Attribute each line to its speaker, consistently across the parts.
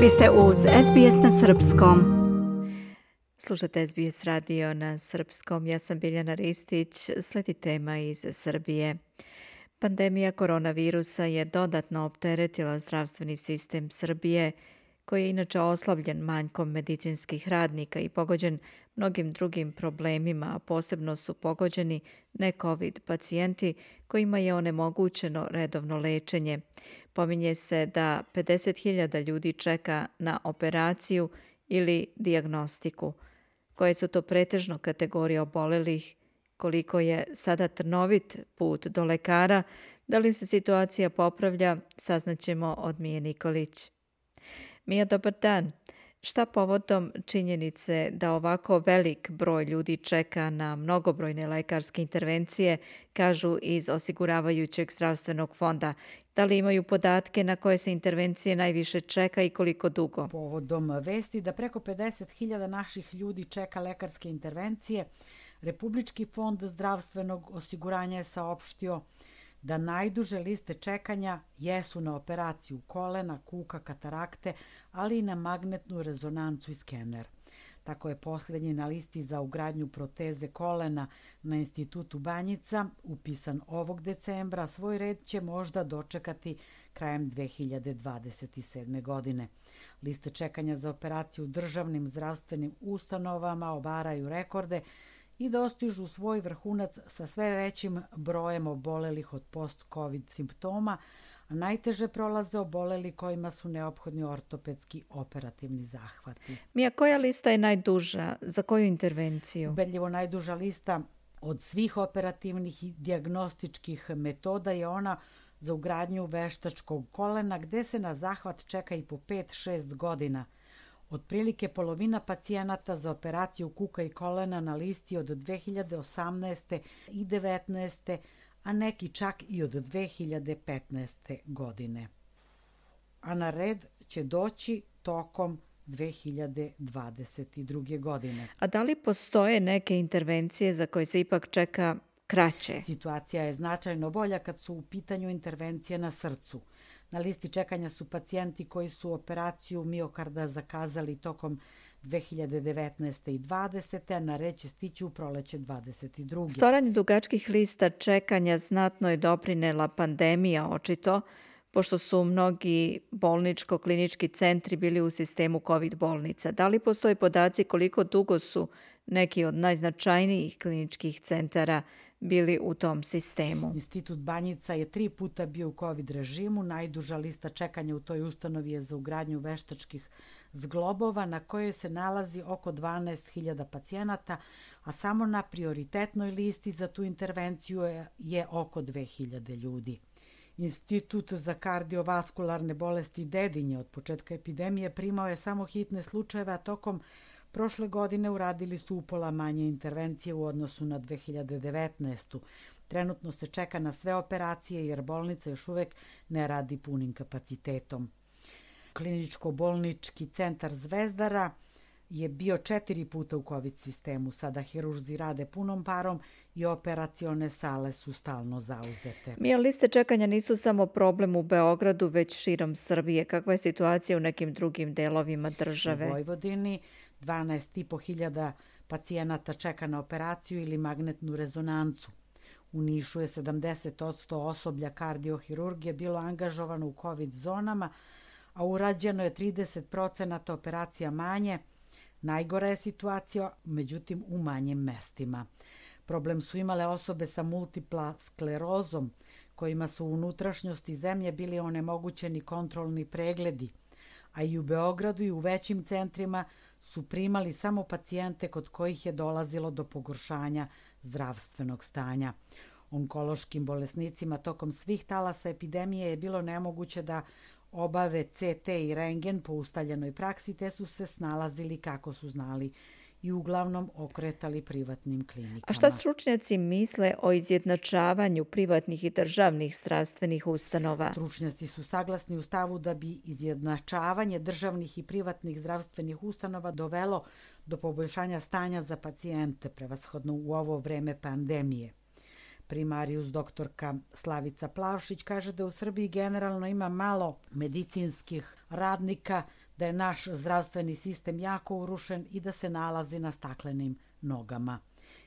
Speaker 1: Vi ste uz SBS na srpskom. Slušate SBS radio na srpskom. Ja sam Biljana Ristić. Sledi tema iz Srbije. Pandemija koronavirusa je dodatno opteretila zdravstveni sistem Srbije, koji je inače oslabljen manjkom medicinskih radnika i pogođen mnogim drugim problemima, a posebno su pogođeni ne-COVID pacijenti kojima je onemogućeno redovno lečenje. Pominje se da 50.000 ljudi čeka na operaciju ili dijagnostiku. Koje su to pretežno kategorije obolelih, koliko je sada trnovit put do lekara, da li se situacija popravlja, saznaćemo od Mije Nikolić. Mija, dobar dan. Šta povodom činjenice da ovako velik broj ljudi čeka na mnogobrojne lekarske intervencije, kažu iz osiguravajućeg zdravstvenog fonda? Da li imaju podatke na koje se intervencije najviše čeka i koliko dugo?
Speaker 2: Povodom vesti da preko 50.000 naših ljudi čeka lekarske intervencije, Republički fond zdravstvenog osiguranja je saopštio da najduže liste čekanja jesu na operaciju kolena, kuka, katarakte, ali i na magnetnu rezonancu i skener. Tako je posljednji na listi za ugradnju proteze kolena na Institutu Banjica, upisan ovog decembra, svoj red će možda dočekati krajem 2027. godine. Liste čekanja za operaciju u državnim zdravstvenim ustanovama obaraju rekorde i dostižu svoj vrhunac sa sve većim brojem obolelih od post-COVID simptoma, a najteže prolaze oboleli kojima su neophodni ortopedski operativni zahvati.
Speaker 1: Mija, koja lista je najduža? Za koju intervenciju?
Speaker 2: Ubedljivo najduža lista od svih operativnih i dijagnostičkih metoda je ona za ugradnju veštačkog kolena, gde se na zahvat čeka i po 5-6 godina. Otprilike polovina pacijenata za operaciju kuka i kolena na listi od 2018. i 2019. a neki čak i od 2015. godine. A na red će doći tokom 2022. godine.
Speaker 1: A da li postoje neke intervencije za koje se ipak čeka kraće?
Speaker 2: Situacija je značajno bolja kad su u pitanju intervencije na srcu. Na listi čekanja su pacijenti koji su operaciju miokarda zakazali tokom 2019. i 2020. a na red će stići u proleće 2022.
Speaker 1: Stvaranje dugačkih lista čekanja znatno je doprinela pandemija, očito, pošto su mnogi bolničko-klinički centri bili u sistemu COVID bolnica. Da li postoje podaci koliko dugo su neki od najznačajnijih kliničkih centara bili u tom sistemu?
Speaker 2: Institut Banjica je 3 puta bio u COVID režimu. Najduža lista čekanja u toj ustanovi je za ugradnju veštačkih zglobova na kojoj se nalazi oko 12.000 pacijenata, a samo na prioritetnoj listi za tu intervenciju je oko 2.000 ljudi. Institut za kardiovaskularne bolesti Dedinje od početka epidemije primao je samo hitne slučajeve, a tokom prošle godine uradili su upola manje intervencije u odnosu na 2019. Trenutno se čeka na sve operacije jer bolnica još uvek ne radi punim kapacitetom. Kliničko-bolnički centar Zvezdara je bio 4 puta u COVID sistemu. Sada hirurzi rade punom parom i operacione sale su stalno zauzete.
Speaker 1: Mija, liste čekanja nisu samo problem u Beogradu, već širom Srbije. Kakva je situacija u nekim drugim delovima države?
Speaker 2: U Vojvodini 12.500 pacijenata čeka na operaciju ili magnetnu rezonancu. U Nišu je 70% osoblja kardiohirurgije bilo angažovano u COVID zonama, a urađeno je 30% operacija manje. Najgora je situacija, međutim, u manjim mestima. Problem su imale osobe sa multipla sklerozom, kojima su u unutrašnjosti zemlje bili onemogućeni kontrolni pregledi, a i u Beogradu i u većim centrima su primali samo pacijente kod kojih je dolazilo do pogoršanja zdravstvenog stanja. Onkološkim bolesnicima tokom svih talasa epidemije je bilo nemoguće da obave CT i rentgen po ustaljenoj praksi, te su se snalazili kako su znali i uglavnom okretali privatnim klinikama.
Speaker 1: A šta stručnjaci misle o izjednačavanju privatnih i državnih zdravstvenih ustanova?
Speaker 2: Stručnjaci su saglasni u stavu da bi izjednačavanje državnih i privatnih zdravstvenih ustanova dovelo do poboljšanja stanja za pacijente, prevashodno u ovo vreme pandemije. Primarijus doktorka Slavica Plavšić kaže da u Srbiji generalno ima malo medicinskih radnika, da je naš zdravstveni sistem jako urušen i da se nalazi na staklenim nogama.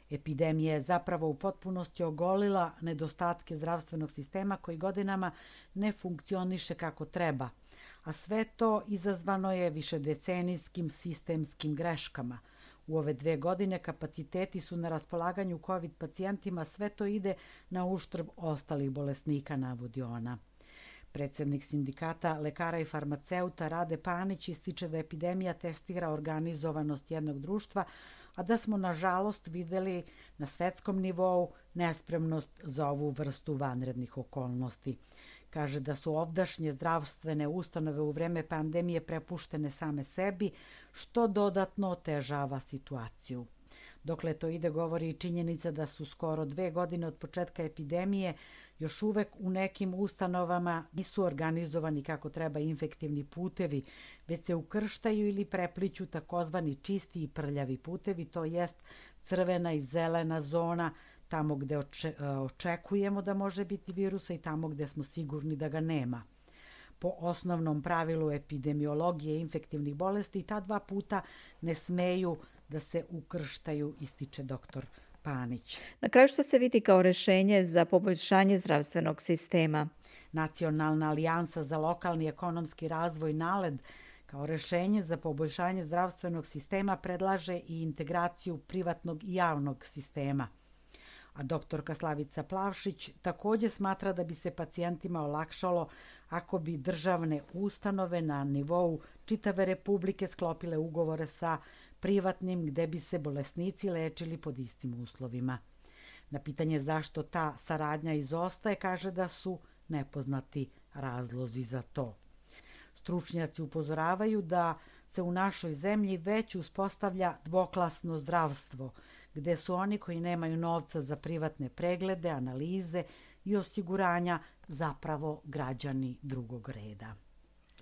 Speaker 2: Epidemija je zapravo u potpunosti ogolila nedostatke zdravstvenog sistema koji godinama ne funkcioniše kako treba, a sve to izazvano je višedecenijskim sistemskim greškama. U ove 2 godine kapaciteti su na raspolaganju COVID pacijentima, sve to ide na uštrb ostalih bolesnika, navodi ona. Predsednik sindikata lekara i farmaceuta Rade Panić ističe da epidemija testira organizovanost jednog društva, a da smo nažalost videli na svetskom nivou nespremnost za ovu vrstu vanrednih okolnosti. Kaže da su ovdašnje zdravstvene ustanove u vreme pandemije prepuštene same sebi, što dodatno otežava situaciju. Dokle to ide, govori i činjenica da su skoro 2 godine od početka epidemije još uvek u nekim ustanovama nisu organizovani kako treba infektivni putevi, već se ukrštaju ili prepliću takozvani čisti i prljavi putevi, to jest crvena i zelena zona, tamo gde očekujemo da može biti virusa i tamo gde smo sigurni da ga nema. Po osnovnom pravilu epidemiologije infektivnih bolesti, ta 2 puta ne smeju da se ukrštaju, ističe dr. Panić.
Speaker 1: Na kraju što se vidi kao rešenje za poboljšanje zdravstvenog sistema?
Speaker 2: Nacionalna alijansa za lokalni ekonomski razvoj NALED kao rešenje za poboljšanje zdravstvenog sistema predlaže i integraciju privatnog i javnog sistema. A doktorka Slavica Plavšić takođe smatra da bi se pacijentima olakšalo ako bi državne ustanove na nivou čitave Republike sklopile ugovore sa privatnim gde bi se bolesnici lečili pod istim uslovima. Na pitanje zašto ta saradnja izostaje, kaže da su nepoznati razlozi za to. Stručnjaci upozoravaju da se u našoj zemlji već uspostavlja dvoklasno zdravstvo, gde su oni koji nemaju novca za privatne preglede, analize i osiguranja zapravo građani drugog reda.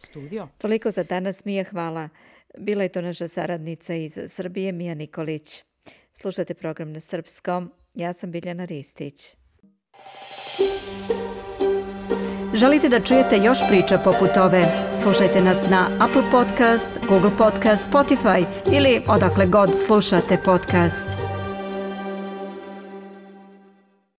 Speaker 2: Studio.
Speaker 1: Toliko za danas, Mija, hvala. Bila je to naša saradnica iz Srbije, Mija Nikolić. Slušate program na srpskom. Ja sam Biljana Ristić. Želite da čujete još priča poput ove? Slušajte nas na Apple Podcast, Google Podcast, Spotify ili odakle god slušate podcast.